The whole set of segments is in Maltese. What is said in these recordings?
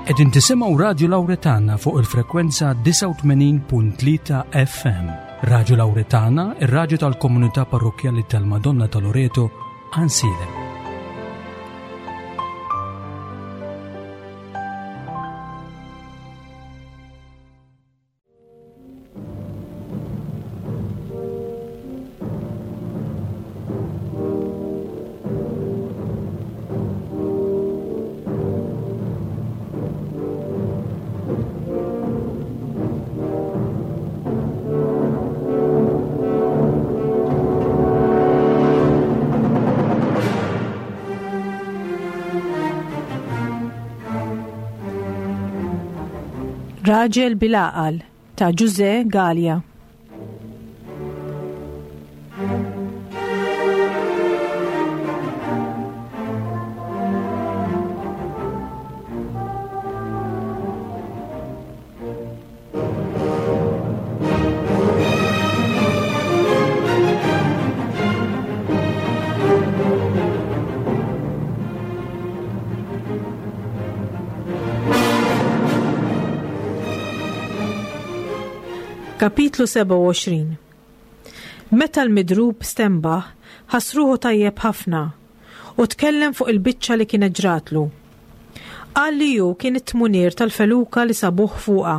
Qegħdin tisimgħu Radju Lawretana fuq il-frekwenza 89.3 FM. Radju Lawretana, ir-radju tal-komunità parrokkjali tal-Madonna ta' Loreto, Ansilem. Raġel bil-għaqal ta' Ġużè Galea. Kapitlu 27 Meta l-midrub stenbaħ, ħass ruħu tajjeb ħafna u tkellem fuq il-biċċa li kienet ġratlu. Qal li hu kien it-tmunier tal-feluka li sabuh fuqha.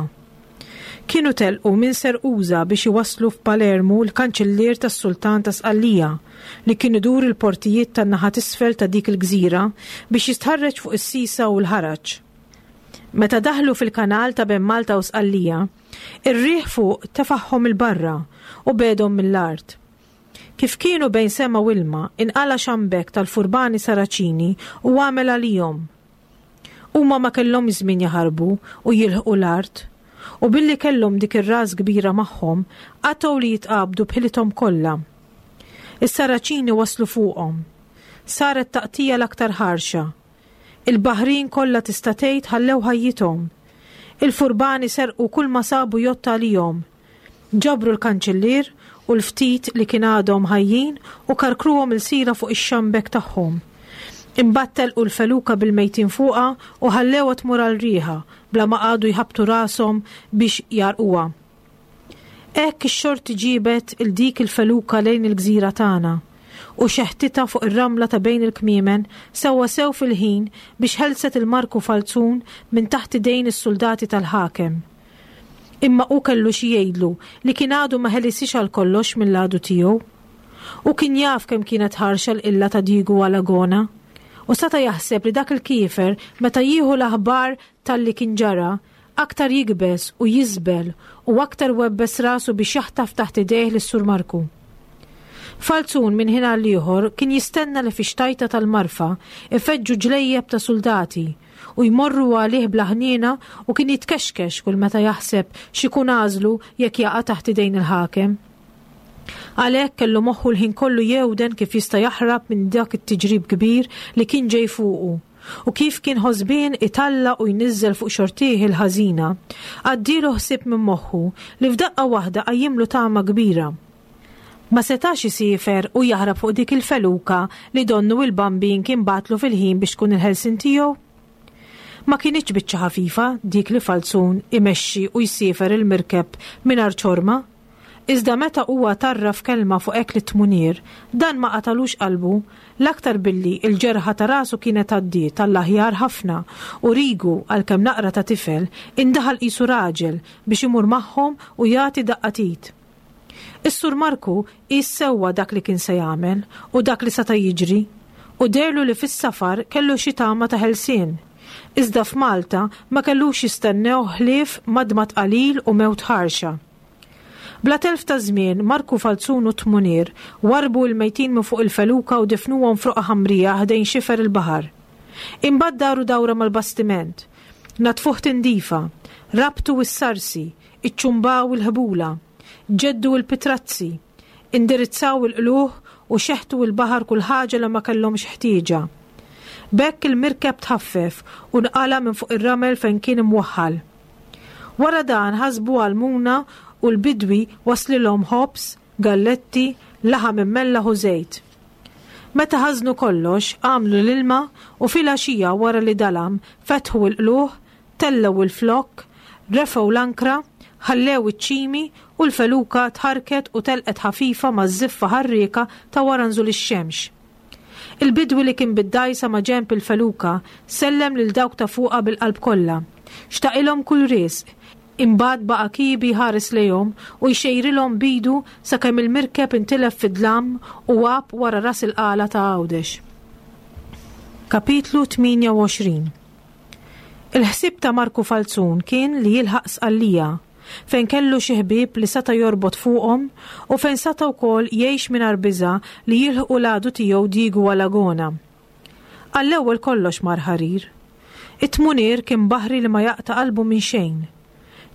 Kienu telqu minn Serquża biex iwasslu f'Palermu l-kanċillier tas-Sultan ta' Sqallija li kien idur il-portijiet tan-naħa t'isfel ta' dik il-gżira biex jistħarreġ fuq is-sisa u l-ħaraġ. Meta daħlu fil-kanal ta' bejn Malta u Sqallija, ir-riħ fuq tefagħhom 'il barra u begħedhom mill-art. Kif kienu bejn sema u ilma, inqala' xambek tal-furbani Saraċini u għamel għalihom. Huma ma kellhomx żmien jaħarbu u jilħqu l-art, u billi kellhom dik ir-ras kbira magħhom, qatgħu li jitqabdu b'ħilithom kollha. Is-Saraċini waslu fuqhom. Saret taqtigħa l-aktar ħarxa. Il-baħrin kollha tista' tgħid ħallew ħajjithom. Il-furbani serqu kulma sabu jgħodd għalihom. Ġabru l-kanċillier u l-ftit li kien għadhom ħajjin u karkruhom ilsira fuq ix-xambek tagħhom. Imbagħad telqu l-feluka bil-mejtin fuqha u ħallewha tmur għal riħha bla ma qagħdu jħabbtu rashom biex jgħarrquha. Hekk ix-xorti ġiebet 'il dik il-feluka lejn il-gżira tagħna u xeħtitha fuq ir-ramla ta' bejn il-kmiemen sewwasew fil-ħin biex ħelset il-Marku Falzun minn taħt idejn is-suldati tal-ħakem. Imma hu kellu xi jgħidlu li kien għadu ma ħelisiex għal kollox mill-għadu tiegħu. Hu kien jaf kemm kienet ħarxa l-qilla ta' Diegu Alagona. U seta' jaħseb li dak il-kiefer meta jieħu l-aħbar talli kien ġara, aktar jikbes u jiżbel u aktar webbes rasu biex jaħtaf taħt idejh lis-Sur Marku. Falzun minn ħin għal ieħor kien jistenna li fix-xtajta tal-marfa ifeġġu ġlejjeb ta' suldati u jmorru għalih bla ħniena u kien jitkexkex kull meta jaħseb x'ikun għażlu jekk jaqa' taħt idejn il-ħakem. Għalhekk kellu moħħu l-ħin kollu jewden kif jista' jaħrab minn dak it-tiġrib kbir li kien ġej fuqu u kif kien ħosbien italla' u jniżżel fuq xortih il-ħażina, għaddielu ħsieb minn moħħu li f'daqqa waħda qajjimlu tama kbira. Ma setax isiefer u jaħrab fuq dik il-feluka li donnu il-Bambin kien bagħatlu fil-ħin biex tkun il-ħelsien tiegħu? Ma kinitx biċċa ħafifa dik li Falzun imexxi u jsiefer il-mirkeb mingħajr ċorma. Iżda meta huwa tarraf kelma fuq hekk lit-tmunier, dan ma qatalux qalbu, l-aktar billi l-ġerħa ta' rasu kienet għaddiet għall-aħjar ħafna u Rigu, għalkemm naqra ta' tifel, indaħal qisu raġel biex imur magħhom u jagħti daqqa t'id. Is-Sur Marku qies sewwa dak li kien se jagħmel u dak li seta' jiġri, u dehrlu li fis-safar kellu xi tama ta' ħelsien. Iżda f'Malta ma kellux jistennewh ħlief madmad qalil u mewt ħarxa. Bla telf ta' żmien, Marku Falzun u t-Tmunier warrbu il-mejtin minn fuq il-feluka u difnuhom f'roqgħa ħamrija ħdejn xifer il-baħar. Imbagħad daru dawra mal-bastiment. Naddfuh tindifa. Rabtu s-sarsi. Iċċumbaw il-ħbula, ġeddu l-pitrazzi, indirizzaw il-qlugħ u xeħtu il-baħar kull ħaġa li ma kellhomx ħtieġa. B'hekk il-mirkeb tħaffef u nqala' minn fuq ir-ramel fejn kien imwaħħal. Wara dan ħasbu għall-muna u l-bidwi wasslilhom ħobż, galletti, laħam immellaħ u żejt. Meta ħażnu kollox, għamlu l-ilma u filgħaxija wara li dalam fetħu l-qlugħ. tellgħu il-flokk, refgħu l-ankra, ħallew iċ-ċimi u l-feluka tħarrket u telqet ħafifa maż-żiffa ħarrieka ta' wara nżul ix-xemx. Il-bidwi li kien bid-dgħajsa ma' ġenb il-feluka sellem lil dawk ta' fuqha bil-qalb kollha. Xtaqilhom kull riżq. Imbagħad baqa' kiebi jħares lejhom u jxejrilhom b'idu sakemm il-mirkeb intilef fid-dlam u għab wara ras il-qala ta' Għawdex. Kapitlu 28 Il-ħsieb ta' Marku Falzun kien li jilħaq Sqallija, fejn kellu xi ħbieb li seta' jorbot fuqhom u fejn seta' wkoll jgħix mingħajr biża' li jilħqu l-għadu tiegħu Diegu Alagona. Għall-ewwel kollox mar ħarir. It-tmunier kien baħri li ma jaqta' qalbu minn xejn.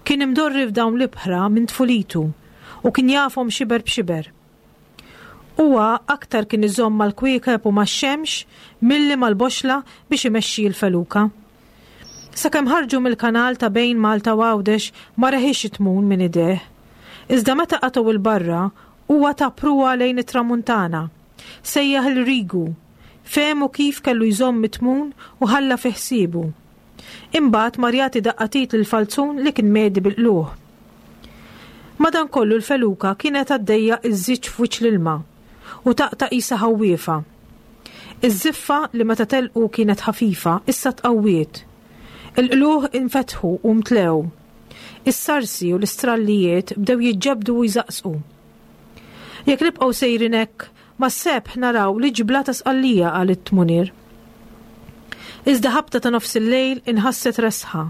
Kien imdorri f'dawn l-ibħra minn tfulitu u kien jafhom xiber b'xiber. Huwa aktar kien iżomm mal-kwiekeb u max-xemx milli mal-boxxla biex imexxi l-feluka. Sakemm ħarġu mill-kanal ta' bejn Malta u Għawdex ma reħiex it-tmun minn idejh. Iżda meta qatgħu 'l barra, huwa ta pruwa lejn it-tramuntana. Sejjaħ 'il Rigu. Fehmu kif kellu jżomm it-tmun u ħalla fi ħsiebu. Imbagħad mar jagħti daqqa t'id lil Falzun li kien mehdi bil-qlugħ. Madankollu l-feluka kienet għaddejja iżżiġġ f'wiċċ l-ilma u taqta' qisha ħawwiefa. Iż-żiffa li meta telqu kienet ħafifa issa tqawwiet. Il-qlugħ infetħu u mtlew. Is-sarsi u l-istrallijiet bdew jiġġebbdu u jżaqżqu. Jekk nibqgħu sejrin hekk, mas-sebħ naraw l-iġbla ta' Sqallija, qal it-tmunier. Iżda ħabta ta' nofsillejl inħasset resħa.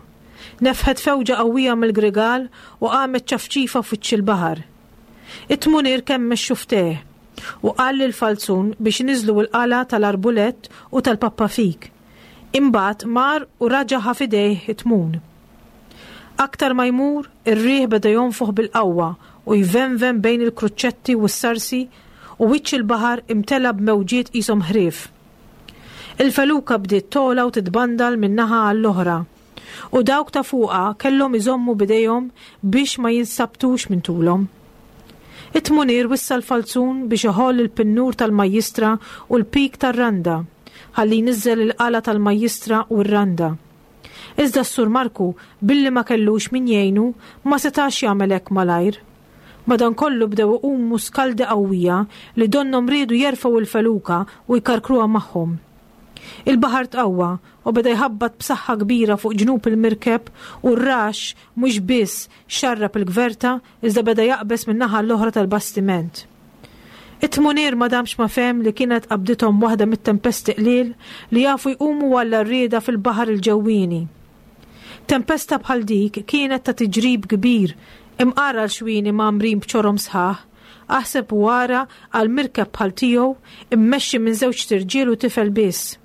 Nefħet fewġa qawwija mill-grigal u qamet ċafċifa f'wiċċ il-baħar. It-tmunier kemmex xufftejh u qal lill-Falzun biex iniżżlu l-qala' tal-arbulett u tal-pappafik. Imbagħad mar u raġa' ħa f'idejh it-tmun. Aktar ma jmur, ir-riħ beda jonfoħ bil-qawwa u jvenven bejn il-kruċċetti u s-sarsi u wiċċ il-baħar imtela b'mewġiet qishom ħrief. Il-feluka bdiet togħla u titbandal minn naħa għall-oħra, u dawk ta' fuqha kellhom iżommu b'idejhom biex ma jinsabtux minn tulhom. It-tmunier wissa l-falzun biex iħoll il-pinnur tal-majjistra u l-pik tar-randa, ħalli jniżżel il-qala' tal-majjistra u r-randa. Iżda s-Sur Marku, billi ma kellux min jgħinu, ma setax jagħmel hekk malajr. Madankollu bdew iqumu skaldi qawwija li donnhom riedu jerfgħu l-feluka u jkarkruha magħhom. Il-baħar tqawwa u beda jħabbat b'saħħa kbira fuq ġnub il-mirkeb u r-raxx mhux biss xarrab il-gverta iżda beda jaqbeż min-naħa l-oħra tal-bastiment. It-tmunier ma damx ma fehem li kienet qabdithom waħda mit-tempesti qliel li jafu jqumu għall-għarrieda fil-baħar il-ġewwieni. Tempesta bħal dik kienet ta' tiġrib kbir, imqar għal xwieni mgħammrin b'ċorom sħaħ, aħseb u ara għal mirkeb bħal tiegħu immexxi minn żewġt irġiel u tifel biss.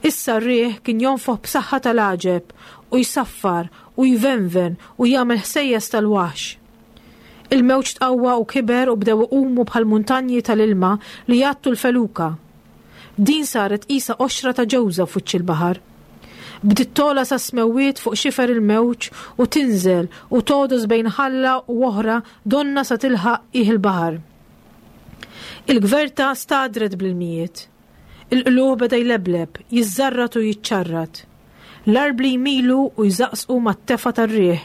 Issa r-riħ kien jonfoħ b'saħħa tal-għaġeb u jsaffar u jvenven u jagħmel ħsejjes tal-waħx. Il-mewġ tqawwa u kiber u bdew iqumu bħal muntanji tal-ilma li jgħattu l-feluka. Din saret qisha qoxra ta' ġewża f'wiċċ il-baħar. Bdiet togħla sas-smewwiet fuq xifer il-mewġ u tinżel u togħdos bejn ħalla u oħra donnha sa tilħaq qiegħ il-baħar. Il-gverta stagħdret bl-ilmijiet. Il-qlugħ beda jlebleb, jiżżarrat u jiċċarrat. L-arbli jmilu u jżaqżqu mat-tefgħa tar-riħ.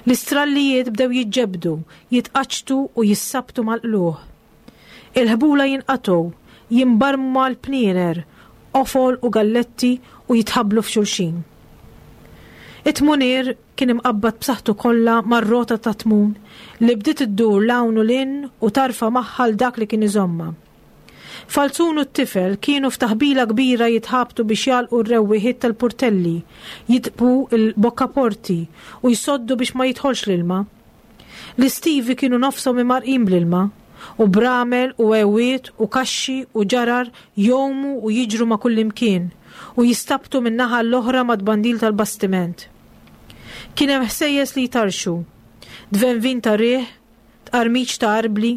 L-istrallijiet bdew jiġġebbdu, jitqaċċtu u jissabtu mal-qlugħ. Il-ħbula jinqatgħu, jimbarmu mal-pniener, qofol u galletti u jitħabblu f'xulxin. It-tmunier kien imqabbad b'saħħtu kollha mar-rota tat-tmun li bdiet iddur 'l hawn u 'l hinn u tarfa' magħha 'l dak li kien iżommha. Falzun u t-tifel kienu f'taħbila kbira jitħabtu biex jagħlqu r-rewwieħiet tal-purtelli, jitqbu l-bokkaporti u jsoddu biex ma jidħolx l-ilma. L-istivi kienu nofshom imgħarrqin bl-ilma, u bramel u għewiet u kaxxi u ġarar jgħumu u jiġru ma' kullimkien u jistabtu minn naħa għall-oħra mat-tbandil tal-bastiment. Kien hemm ħsejjes li jtarrxu, tvenvin ta' riħ, tqarmiċ ta' arbli,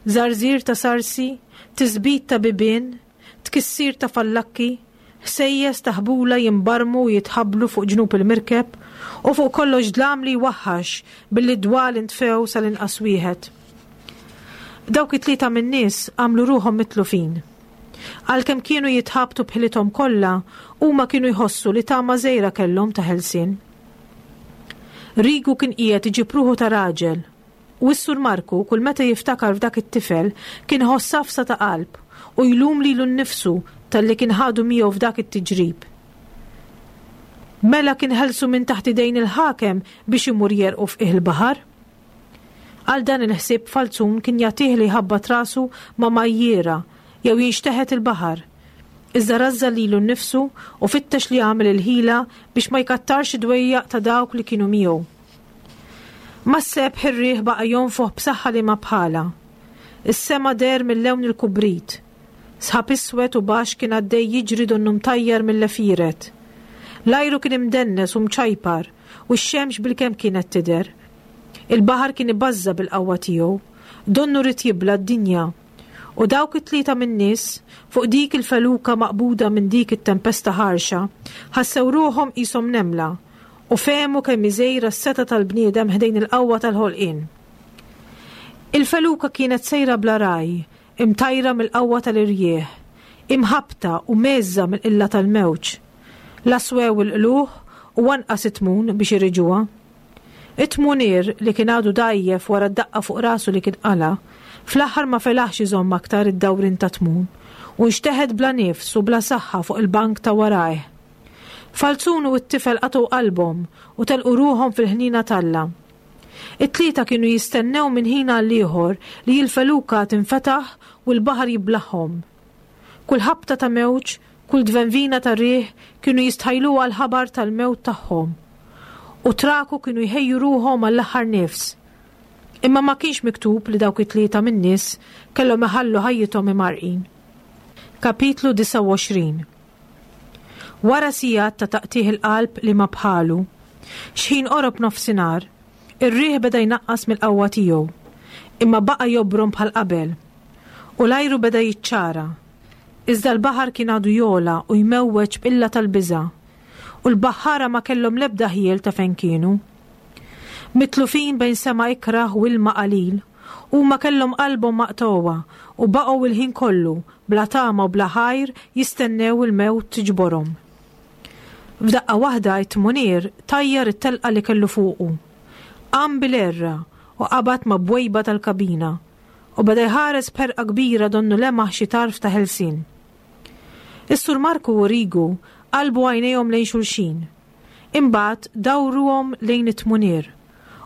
żarżir ta' sarsi, tisbit ta' bibien, tkissir ta' fallakki, ħsejjes ta' ħbula jimbarmu u jitħabblu fuq ġnub il-mirkeb, u fuq kollox dlam li jwaħħax billi d-dwal intfew sal-inqas wieħed. Dawk it-tlieta min-nies għamlu ruħhom mitlufin. Għalkemm kienu jitħabtu b'ħilithom kollha, huma kienu jħossu li tama żgħira kellhom ta' ħelsien. Rigu kien qiegħed iġib ruħu ta' raġel, u s-Sur Marku kull meta jiftakar f'dak it-tifel kien iħoss għafsa ta' qalb u jlum lilu nnifsu talli kien ħadu miegħu f'dak it-tiġrib. Mela kien ħelsu minn taħt idejn il-ħakem biex imur jerqu f'qiegħ il-baħar? Għal dan il-ħsieb Falzun kien jagħtih li jħabbat rasu ma' majjiera jew jinxteħet il-baħar. Iżda rażżan lilu nnifsu u fittex li jagħmel il-ħila biex ma jkattarx id-dwejjaq ta' dawk li kienu miegħu. Mas-sebħ ir-riħ baqa' jonfoħ b'saħħa liema bħalha. Is-sema deher mil-lewn il-kubrit. Sħab iswed u baxx kien għaddej jiġri donnu mtajjar mill-għefieret. L-ajru kien imdennes u mċajpar u x-xemx bilkemm kienet tidher. Il-baħar kien ibażża' bil-qawwa tiegħu. Donnu ried jibla' d-dinja. U dawk it-tlieta min-nies, fuq dik il-feluka maqbuda minn dik it-tempesta ħarxa, ħassew ruħhom qishom nemla u fehmu kemm hi żgħira s-setgħa tal-bniedem ħdejn il-qawwa tal-ħolqien. Il-feluka kienet sejra bla ragħaj, imtajra mill-qawwa tal-irjieħ, imħabbta u mgħeżża mill-qilla tal-mewġ. La swew il-qlugħ u anqas it-tmun biex iriġuha. It-tmunier, li kien għadu dgħajjef wara d-daqqa fuq rasu li kien qala', fl-aħħar ma felaħx iżomm aktar id-dawrien tat-tmun, u nxteħet bla nifs u bla saħħa fuq il-bank ta' warajh. Falzun u t-tifel qatgħu qalbhom u telqu ruħhom fil-ħniena t'Alla. It-tlieta kienu jistennew minn ħin għall-ieħor li l-feluka tinfetaħ u l-baħar jiblagħhom. Kull ħabta ta' mewġ, kull tvenvina ta' riħ kienu jistħajluha l-ħabar tal-mewt tagħhom. U traku kienu jħejju ruħhom għall-aħħar nifs. Imma ma kienx miktub li dawk it-tlieta min-nies kellhom iħallu ħajjithom imgħarrqin. Kapitlu 29 Wara sigħat ta' taqtigħ il-qalb li ma bħalu, x'ħin qorob nofsinhar, ir-riħ beda jnaqqas mill-qawwa tiegħu, imma baqa' jobrom bħal qabel. U l-ajru beda jiċċara. Iżda l-baħar kien għadu jogħla u jmewweġ b'qilla tal-biża', u l-baħħara ma kellhom l-ebda ħjiel ta' fejn kienu. Mitlufin bejn sema ikrah u ilma qalil, huma kellhom qalbhom maqtugħa u baqgħu il-ħin kollu, bla tama u bla ħajr, jistennew il-mewt tiġborhom. F'daqqa waħda t-tmunier tajjar it-telqa li kellu fuqu. Qam bil-għerra u qabad ma' bwejba tal-kabina u beda jħares b'ħerqa kbira donnu lemaħ xi tarf ta' ħelsien. Is-Sur Marku u Rigu qalbu għajnejhom lejn xulxin. Imbagħad dawruhom lejn it-tmunier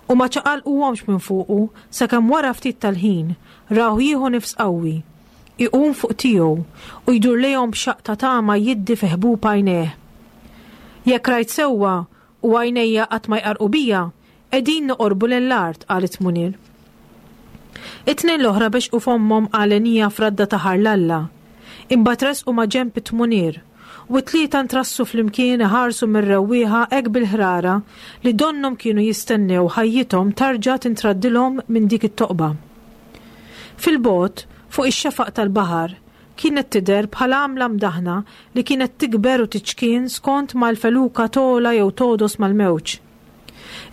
u ma ċaqalquhomx minn fuqu sakemm wara ftit tal-ħin rawh jieħu nifs qawwi, iqum fuq tiegħu u jdur lejhom b'xaqq ta' tama jiddi fi ħbub għajnejh. Jekk rajt sewwa u għajnejja qatt ma jqarrqu bija, qegħdin noqorbu lejn l-art, qal it-tmunier. It-tnejn l-oħra bexqu fommhom għalenija f'radda ta' ħar 'l Alla. Imbagħad resqu ma' ġenb it-tmunier, u t-tlieta ntrassu flimkien iħarsu mir-rewwieħa hekk bil-ħrara li donnhom kienu jistennew ħajjithom tarġa' tintraddilhom minn dik it-toqba. Fil-bogħod, fuq ix-xefaq tal-baħar, kienet tidher bħal għamla mdaħħna li kienet tikber u tiċkien skont ma l-feluka togħla jew togħdos mal-mewġ.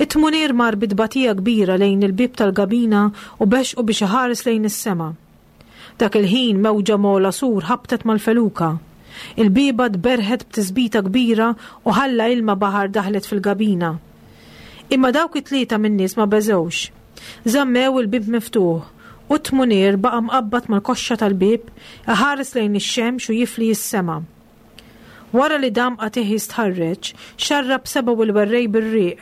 It-tmunier mar bi tbatija kbira lejn il-bieb tal-gabina u bexqu biex iħares lejn is-sema. Dak il-ħin mewġa m'ogħla sur ħabtet mal-feluka. Il-bieba tberrħet b'tisbita kbira u ħalla ilma baħar daħlet fil-gabina. Imma dawk it-tlieta min-nies ma beżgħux. Żammew il-bieb miftuħ u t-tmunier baqa' mqabbad mal-koxxa tal-bieb iħares lejn ix-xemx u jifli s-sema. Wara li dam qatigħ jistħarreġ, xarrab sebgħu il-werrej bir-riq,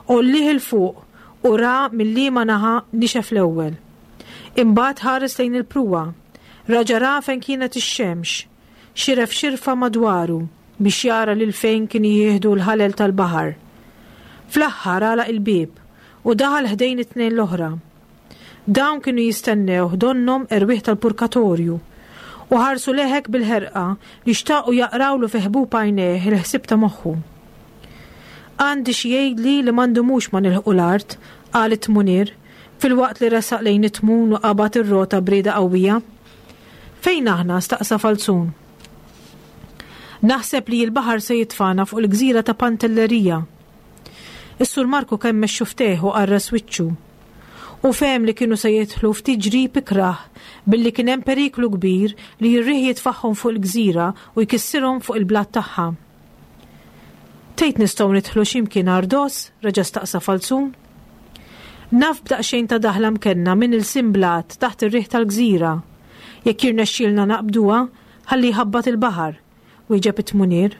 għollieh 'il fuq u ra mil-liema naħa nixef l-ewwel. Imbagħad ħares lejn il-pruwa, raġa' ra fejn kienet ix-xemx, xiref xirfa madwaru biex jara lil fejn kienu jieħdu l-ħalel tal-baħar. Fl-aħħar għalaq il-bieb u daħal ħdejn it-tnejn l-oħra. Dawn kienu jistennewh donnhom erwieħ tal-purkatorju, u ħarsu lejh hekk bil-ħerqa li xtaqu jaqrawlu fi ħbub għajnejh il-ħsieb ta' moħħu. Għandi xi jgħidli li ma ndumux ma nilħqu l-art, qal it-tmunier, filwaqt li resaq lejn it-tmun u qabad ir-rota b'rieda qawwija. Fejn aħna? staqsa Falzun. Naħseb li l-baħar se jitfagħna fuq il-gżira ta' Pantelleria. Is-Sur Marku kemmex xufftejh u qarres wiċċu. Hu fehem li kienu se jidħlu f'tiġrib ikrah billi kien hemm periklu kbir li r-riħ jitfagħhom fuq il-gżira u jkissirhom fuq il-blat tagħha. Tgħid nistgħu nidħlu xi mkien għardos? reġa' staqsa Falzun. Naf b'daqsxejn ta' daħla mkenna minn ilsien blat taħt ir-riħ tal-gżira. Jekk jirnexxielna naqbduha, ħalli jħabbat il-baħar, wieġeb it-tmunier.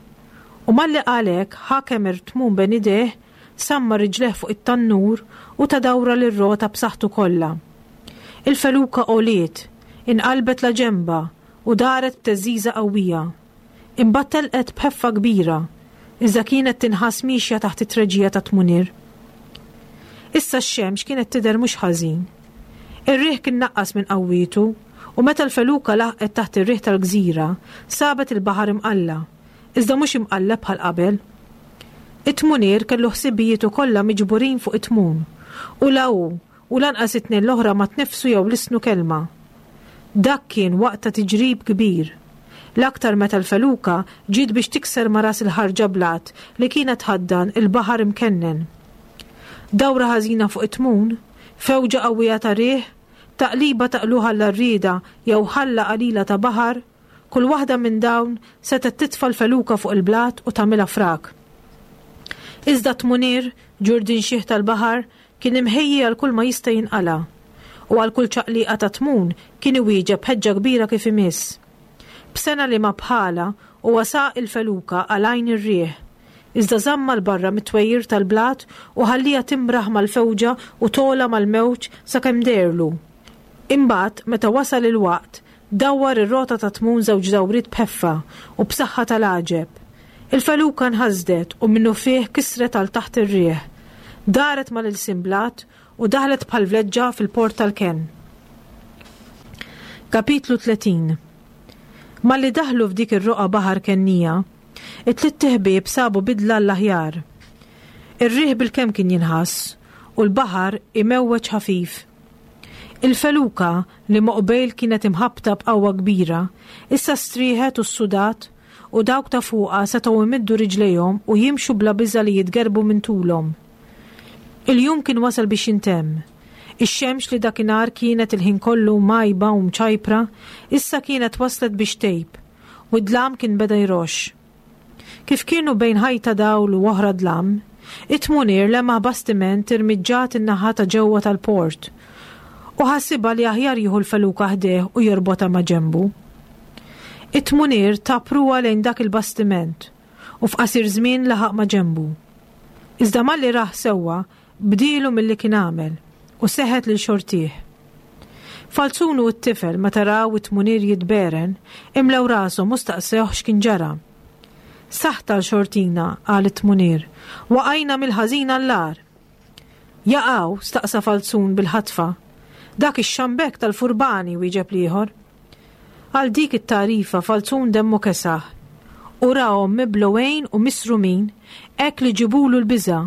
U malli qal hekk, ħakem ir-tmun bejn idejh, sammar riġlejh fuq it-tannur u ta dawra lir-rota b'saħħtu kollha. Il-feluka għoliet, inqalbet laġenba u daret b'theżżiża qawwija. Imbagħad telqet b'ħeffa kbira, iżda kienet tinħass miexja taħt it-treġija tat-tmunier. Issa x-xemx kienet tidher mhux ħażin. Ir-riħ kien naqqas minn qawwietu u meta l-feluka laħqet taħt ir-riħ tal-gżira, sabet il-baħar imqalla', iżda mhux imqalleb bħal qabel. It-tmunier kellu ħsibijietu kollha miġburin fuq it-tmun, u la hu u lanqas it-tnejn l-oħra ma tneffsu jew lissnu kelma. Dak kien waqt ta' tiġrib kbir. L-aktar meta l-feluka ġiet biex tikser ma' ras il-ħarġa blat li kienet tħaddan il-baħar imkennen. Dawra ħażina fuq it-tmun, fewġa qawwija ta' riħ, taqliba ta' qlugħ għall-għarrieda jew ħalla qalila ta' baħar, Kull waħda minn dawn setgħet titfa' l-feluka fuq il-blat u tagħmilha frak. Iżda t-tmunier, ġurdien xiħ tal-baħar, kien imħejji għal kull ma jista' jinqala', u għal kull ċaqliqa ta' tmun kien iwieġeb b'ħeġġa kbira kif imiss. B'sengħa li ma bħalha, huwa saq il-feluka għal għajn ir-riħ, iżda żammha 'l barra mit-twejjir tal-blat u ħallieha timraħ mal-fewġa u togħla mal-mewġ sakemm deherlu. Imbagħad, meta wasal il-waqt, Dawwar ir-rota tat-tmun żewġ dawriet b'ħeffa u b'saħħa tal-għaġeb. Il feluka nħasdet u minnufih kisret għal taħt ir-riħ. Daret mal-ilsien blat u daħlet bħal vleġġa fil-port tal-kenn. Kapitlu 30 Malli daħlu f'dik ir-roqgħa baħar kennija, it-tlitt iħbieb sabu bidla għall-aħjar. Ir-riħ bilkemm kien jinħass u l-baħar imewweġ ħafif. Il-feluka, li moqbejl kienet imħabbta b'qawwa kbira, issa strieħet u ssudat u dawk ta' fuqha setgħu jmiddu riġlejhom u jimxu bla biża' li jitgerrbu minn tulhom. Il-jum kien wasal biex jintemm. Ix-xemx li dakinhar kienet il-ħin kollu mgħajba u mċajpra, issa kienet waslet biex tgħib, u d-dlam kien beda jroxx. Kif kienu bejn ħajta dawl u oħra dlam, it-tmunier lemaħ bastiment irmiġġat in-naħa ta' ġewwa tal-port, u ħasibha li aħjar jieħu l-feluka ħdejh u jorbotha ma' ġenbu. It-tmunier ta pruwa lejn dak il-bastiment u f'qasir żmien laħaq ma' ġenbu. Iżda malli rah sewwa, bdielu milli kien għamel u seħet lil xortih. Falzun u t-tifel meta raw it-tmunier jitberen, imlew rashom u staqsewh x'kien ġara. Saħta għal xortina, qal it-tmunier, waqajna mill-ħażin għall-agħar. Jaqaw? staqsa Falzun bil-ħatfa. Dak ix-xambek tal-furbani, wieġeb l-ieħor. Għal dik it-tagħrifa Falzun demmu kesaħ. U rahom miblugħin u misrumin hekk li ġibulu l-biża'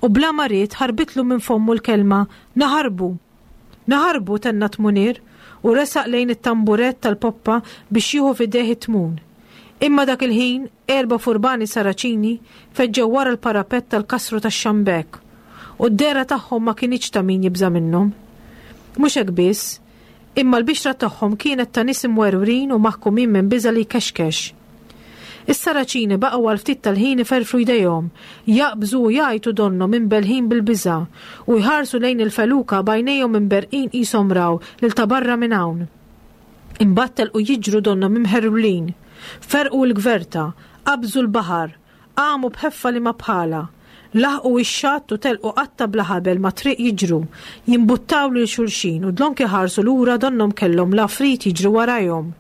u bla ma ried ħarbitlu minn fommu l-kelma naħarbu! Naħarbu, tenna t-tmunier u resaq lejn it-tamburett tal-poppa biex jieħu f'idejh it-tmun. Imma dak il-ħin, erba' furbani Saraċini feġġew wara l-parapett tal-kasru tax-Xambek, u d-dehra tagħhom ma kinitx ta' min jibża' minnhom. Mhux hekk biss, imma l-bixra tagħhom kienet ta' nies imwerwrin u maħkumin minn biża' li jkexkex. Is-Saraċini baqgħu għal ftit tal-ħin iferfru jdejhom, jaqbżu u jgħajtu donnhom imbellħin bil-biża', u jħarsu lejn il-feluka b'għajnejhom imberrqin qishom raw lil ta' barra minn hawn. Imbagħad telqu jiġru donnhom imħerwlin. Ferrqu l-gverta, qabżu l-baħar, qamu b'ħeffa li ma bħalha. Laħqu ix-xatt u telqu qatta' bla ħabel mat-triq jiġru, jimbuttaw lil xulxin u dlonk iħarsu lura donnhom kellhom l-għafrid jiġri warajhom.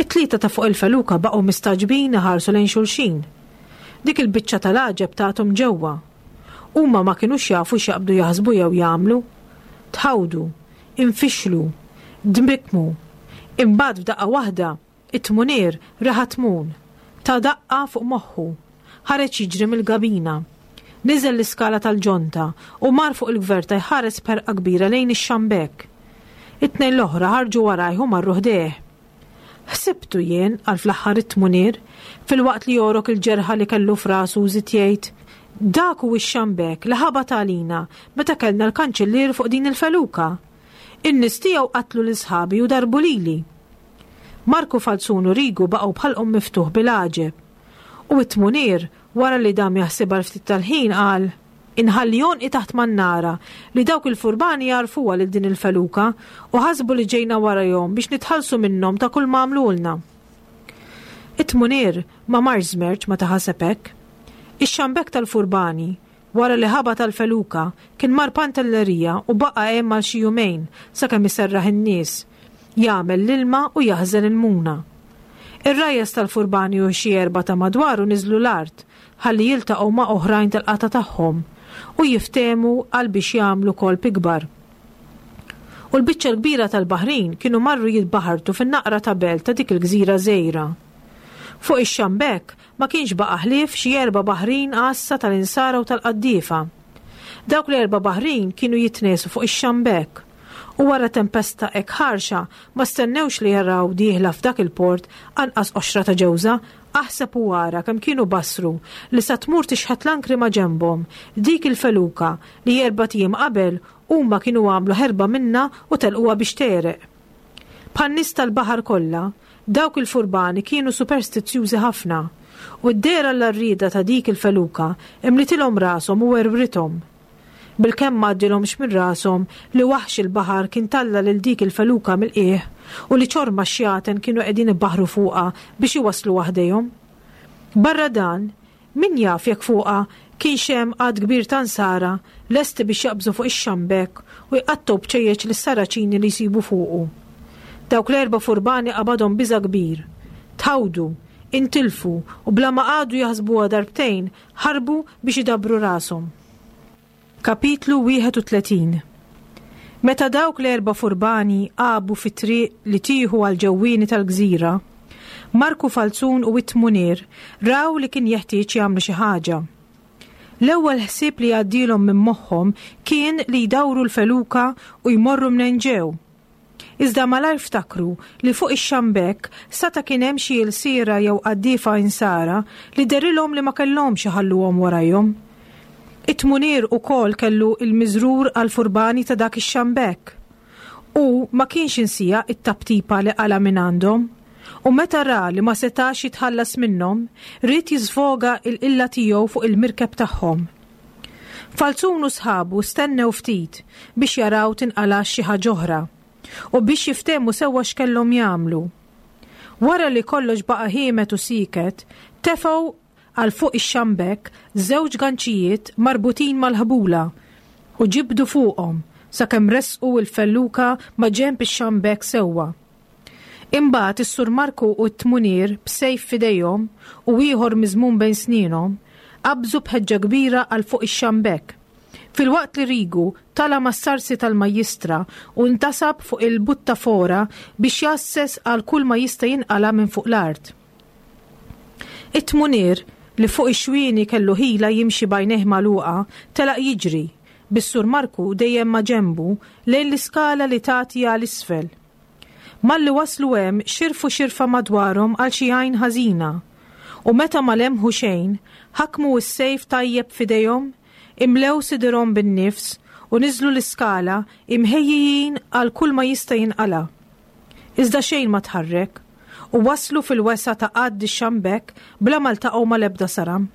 It-tlieta ta' fuq il-feluka baqgħu mistagħġbin iħarsu lejn xulxin. Dik il-biċċa tal-għaġeb tathom ġewwa. Huma ma kinux jafu x'jaqbdu jaħsbu jew jagħmlu. Tħawdu. Infixlu. Dmikmu. Imbagħad f'daqqa waħda, it-tmunier reħa tmun. Ta daqqa fuq moħħu. Ħareġ jiġri mill-gabina. Niżel l-iskala tal-ġonta u mar fuq il-gverta jħares b'ħerqa kbira lejn ix-xambek. It-tnejn l-oħra ħarġu warajh u marru ħdejh. Ħsibtu jien, qal fl-aħħar it-tmunier, filwaqt li jogħrok il-ġerħa li kellu f'rasu u żied jgħid, Dak hu x-xambek li ħabat għalina meta kellna l-kanċillier fuq din il-feluka. In-nies tiegħu qatlu lil sħabi u darbu lili. Marku Falzun u Rigu baqgħu b'ħalqhom miftuħ bil-għaġeb. U t-tmunier, wara li dam jaħsibha għal ftit tal-ħin, qal, Inħalli għonqi taħt mannara li dawk il-furbani jagħrfuha lil din il-feluka u ħasbu li ġejna warajhom biex nitħallsu minnhom ta' kull ma għamlulna. It-tmunier ma marx żmerċ meta ħaseb hekk. Ix-xambek tal-furbani, wara li ħabat għall-feluka, kien mar Pantellerija u baqa' hemm għal xi jumejn sakemm iserraħ in-nies, jagħmel l-ilma u jaħżen il-muna. Ir-rajjes tal-furbani u xi erbgħa ta' madwaru niżlu l-art ħalli jiltaqgħu ma' oħrajn tal-qatgħa tagħhom u jiftehmu għal biex jagħmlu kolp ikbar. U l-biċċa l-kbira tal-baħrin kienu marru jitbaħartu fin-naqra ta' belt ta' dik il-gżira żgħira. Fuq ix-xambek ma kienx baqa' ħlief xi erba' baħrin għassa tal-insara u tal-qaddiefa. Dawk l-erba' baħrin kienu jitniesu fuq ix-xambek, u wara tempesta hekk ħarxa ma stennewx li jaraw dieħla f'dak il-port anqas qoxra ta' ġewża, aħseb u ara kemm kienu basru li sa tmur tixħet l-ankri ma' ġenbhom dik il-feluka li erbat ijiem qabel Huma kienu għamlu ħerba minnha u telquha biex tegħreq. Bħan-nies tal-baħar kollha, dawk il-furbani kienu superstizzjużi ħafna, u d-dehra l-għarrieda ta' dik il-feluka imlitilhom rashom u werwrithom. Bilkemm ma għaddilhomx minn rashom li waħx il-baħar kien talla' lil dik il-feluka mill-qiegħ u li ċorma xjaten kienu qegħdin ibaħħru fuqha biex iwassluha ħdejhom. Barra dan, Min jaf jekk fuqha kienx hemm għadd kbir ta' Nsara lesti biex jaqbżu fuq ix-xambek u jqattgħu bċejjeċ lis-Saraċini li jsibu fuqu. Dawk l-erba' furbani qabadhom biża' kbir. Tħawdu, intilfu u bla ma qagħdu jaħsbuha darbtejn ħarbu biex idabbru rashom. Kapitlu 31 Meta dawk l-erba' furbani għabu fit-triq li tieħu għall-ġewwieni tal-gżira, Marku Falzun u it-Tmunier raw li kien jeħtieġ jagħmlu xi ħaġa. L-ewwel ħsieb li għaddielhom minn moħħhom kien li jdawru l-feluka u jmorru mnejn ġew. Iżda malajr ftakru li fuq ix-xambek sata' kien hemm xi ilsiera jew qaddiefa insara li dehrilhom li ma kellhomx iħalluhom warajhom. It-tmunier ukoll kellu l-miżrur għall-furbani ta' dak ix-xambek. Hu ma kienx insieha t-taptipa li qala' mingħandhom, u meta ra li ma setax jitħallas minnhom, ried jiżvoga l-qilla tiegħu fuq il-mirkeb tagħhom. Falzun u sħabu stennew ftit biex jaraw tinqalax xi ħaġa oħra u biex jiftehmu sewwa x'kellhom jagħmlu. Wara li kollox baqa' ħiemed u sieket, tefgħu għal fuq ix-xambek żewġ ganċijiet marbutin mal-ħbula u ġibdu fuqhom sakemm ressqu l-felluka ma' ġenb ix-xambek sewwa. Imbagħad is-Sur Marku u t-tmunier b'sejf f'idejhom u ieħor miżmum bejn snienhom, qabżu b'ħeġġa kbira għal fuq ix-xambek, filwaqt li Rigu tala' mas-sarsi tal-majjistra u ntasab fuq il-buttafora biex jgħasses għal kull ma jista' jinqala' minn fuq l-art. It-tmunier, li fuq ix-xwieni kellu ħila jimxi b'għajnejh magħluqa, telaq jiġri, bis-Sur Marku dejjem maġenbu, lejn l-iskala li tagħti għal isfel. Malli waslu hemm xirfu xirfa madwarhom għal xi għajn ħażina, u meta ma lemħu xejn, ħakmu s-sejf tajjeb f'idejhom, imlew sidirhom bin-nifs u niżlu l-iskala imħejjijin għal kull ma jista' jinqala'. Iżda xejn ma tħarrek, u waslu fil-wesgħa ta' qadd ix-xambek bla ma ltaqgħu mal-ebda saram.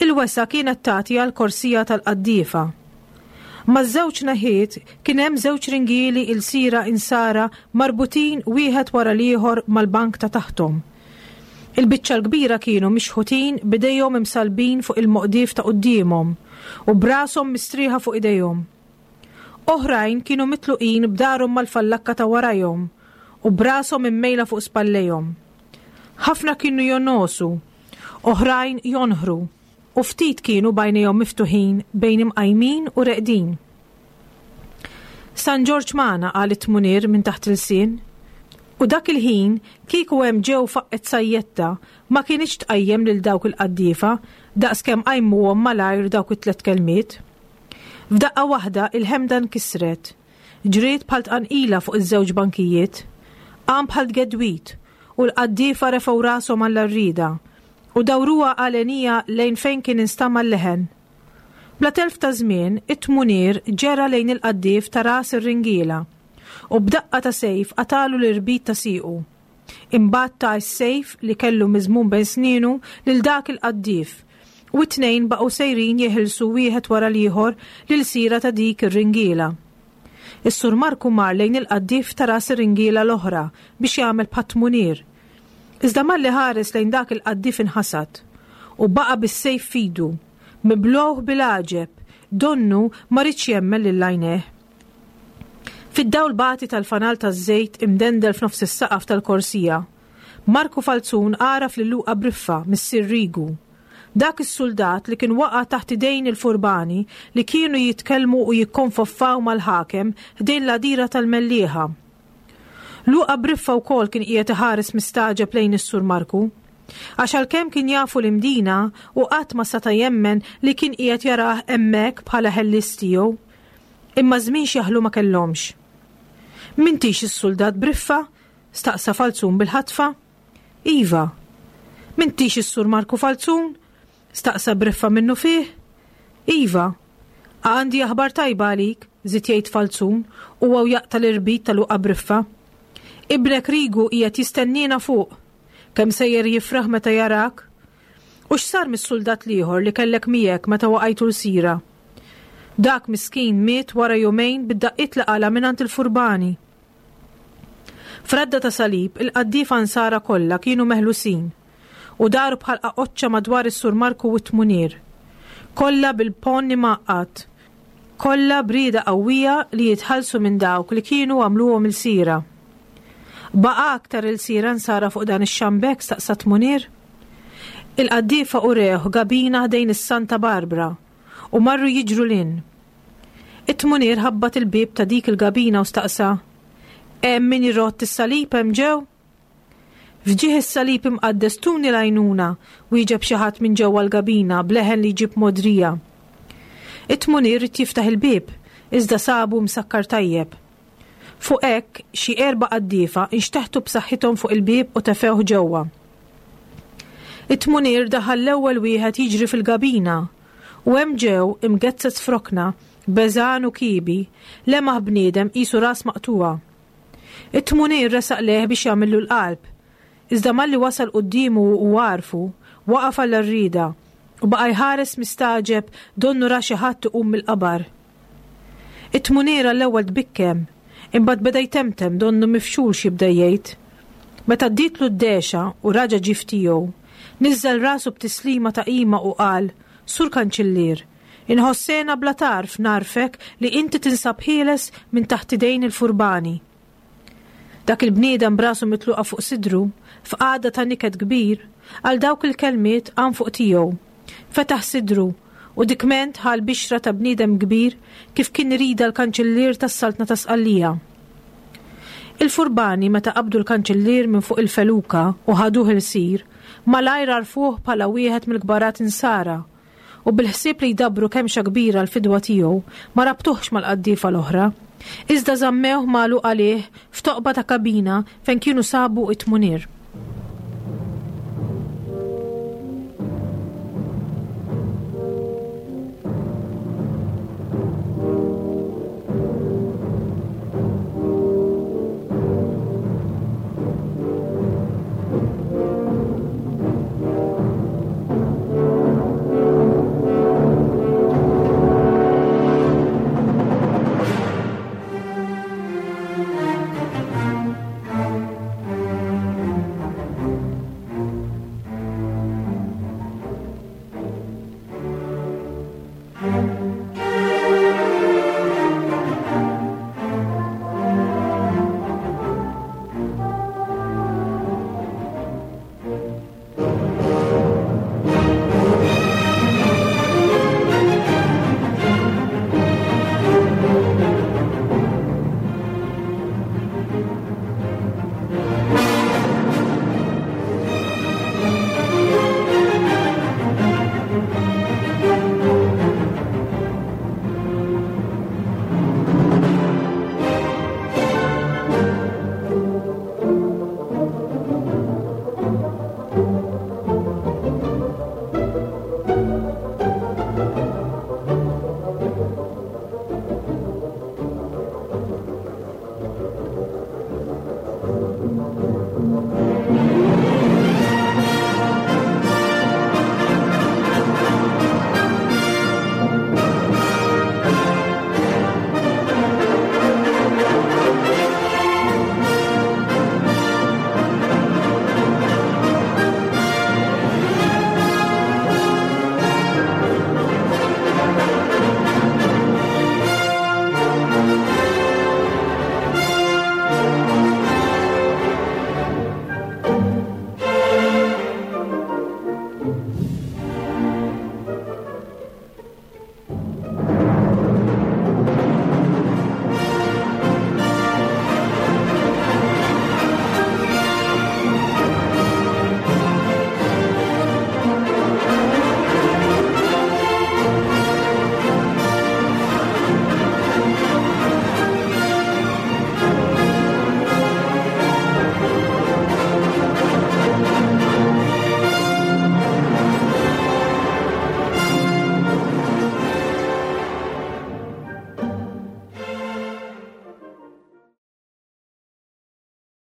Il-wesgħa kienet tagħti għall-korsija tal-qaddiefa. Maż-żewġ naħiet kien hemm żewġ ringieli ilsira insara marbutin wieħed wara l-ieħor mal-bank ta' taħthom. Il-biċċa l-kbira kienu mixħutin b'idejhom imsallbin fuq il-moqdief ta' quddiemhom u b'rashom mistrieħa fuq idejhom. Oħrajn kienu mitluqin b'darhom mal-fallakka ta' warajhom u b'rashom immejla fuq spallejhom. Ħafna kienu jonogħsu, oħrajn jonħru, u ftit kienu b'għajnejhom miftuħin bejn imqajmin u reqdin. San Ġorġ magħna, qal it-tmunier minn taħt ilsien. U dak il-ħin, kieku hemm ġew faqqgħet sajjetta, ma kinitx tqajjem lil dawk il-qaddiefa daqskemm qajmuhom malajr dawk it-tliet kelmiet. F'daqqa waħda il-ħemda nkisret. Ġriet bħal tqanqila fuq iż-żewġ bankijiet. Qam bħal tgedwid, u l-qaddiefa refgħu rashom għall-għarrieda. U dawruha għalenija lejn fejn kien instama' l-leħen. Bla telf ta' żmien, it-tmunier ġera lejn il-qaddief ta' ras ir-ringiela u b'daqqa ta' sejf qatagħlu l-irbit ta' siequ. Imbagħad ta s-sejf li kellu miżmum bejn snienu lil dak il-qaddief u t-tnejn baqgħu sejrin jeħilsu wieħed wara l-ieħor l-ilsira ta' dik ir-ringiela. Is-Sur Marku mar lejn il-qaddief ta' ras ir-ringiela l-oħra biex jagħmel bħat-tmunier. Iżda malli ħares lejn dak il-qaddief inħasad u baqa' bis-sejf f'idu, mibluh bil-għaġeb, donnu ma riedx jemmen lil għajnejh. Fid-dawl bati tal-fanal taż-żejt imdendel f'nofs is-saqaf tal-korsija, Marku Falzun għaraf lil Luqa Briffa, missier Rigu. Dak is-suldat li kien waqa' taħt idejn il-furbani li kienu jitkellmu u jikkonfoffaw mal-ħakem ħdejn l-għadira tal-Mellieħa. Luqa Briffa wkoll kien qiegħed iħares mistagħġeb lejn is-Sur Marku. Għax għalkemm kien jafu l-Imdina, hu qatt ma sata' jemmen li kien qiegħed jarah hemmhekk bħala ħellies tiegħu. Imma żmien x'jaħlu ma kellhomx. M'intix is-suldat Briffa? staqsa Falzun bil-ħatfa. Iva. M'intix is-Sur Marku Falzun? staqsa Briffa minnufih. Iva. Għandi aħbar tajba għalik, żied jgħid Falzun, huwa u jaqta' l-irbit ta' Luqa Briffa. Ibnek Rigu qiegħed jistenniena fuq. Kemm sejjer jifraħ meta jarak? U x'sar mis-suldat l-ieħor li kellek miegħek meta waqajtu lsira? Dak miskin miet wara jumejn bid-daqqiet li qala' mingħand il-furbani. F'radda ta' salib, il-qaddiefa Nsara kollha kienu meħlusin u daru bħal qaqoċċa madwar is-Sur Marku u t-Tmunier. Kollha bil-ponn imgħaqqad. Kollha b'rieda qawwija li jitħallsu minn dawk li kienu għamluhom ilsira. Baqa' aktar ilsira Nsara fuq dan ix-xambek? staqsa t-Tmunier. Il-qaddiefa urewh gabina ħdejn is-Santa Barbra u marru jiġru 'l hinn. It-tmunier ħabbat il-bieb ta' dik il-gabina u staqsa, Hemm min irodd is-salib hemm ġew? F'ġieħ is-salib imqaddes tuni l-għajnuna, wieġeb xi ħadd minn ġewwa l-gabina b'leħen li jġib mogħdrija. It-tmunier ried jiftaħ il-bieb, iżda sabu msakkar tajjeb. Fuq hekk, xi erba' qaddiefa nxteħtu b'saħħithom fuq il-bieb u tefgħuh ġewwa. It-tmunier daħal l-ewwel wieħed jiġri fil-gabina U hemm ġew, imgezzez f'rokna, beżgħan u kiebi, lemaħ bniedem qisu ras maqtugħa. It-tmunier resaq lejh biex jagħmillu l-qalb. Iżda malli wasal quddiemu u għarfu, waqaf għall-għarrieda u baqa' jħares mistagħġeb donnu ra xi ħadd iqum mill-qabar. It-tmunier għall-ewwel tbikkem, imbagħad beda jtemtem donnu mifxul x'jibda jgħid. Meta għaddietlu d-dehxa u raġa' ġie f'tiegħu, niżżel rasu b'tislima ta' qima u qal, Sur Kanċillier, inħoss hena bla tarf ngħarrfek li inti tinsab ħieles minn taħt idejn il-furbani. Dak il-bniedem b'rasu mitluqa fuq sidru, f'qagħda ta' niket kbir, għal dawk il-kelmiet qam fuq tiegħu. Fetaħ sidru, u dikment ħa l-bixra ta' bniedem kbir kif kien iridha l-Kanċillier tas-Saltna ta' Sqallija. Il-furbani meta qabdu l-Kanċillier minn fuq il-feluka u ħaduh ilsir, malajr għarfuh bħala wieħed mill-kbarat Insara, u bil-ħsieb li jdabbru kemxa kbira l-fidwa tiegħu, ma rabtuhx mal-qaddiefa l-oħra, iżda żammewh magħluq għalih f'toqba ta' kabina fejn kienu sabu t-tmunier.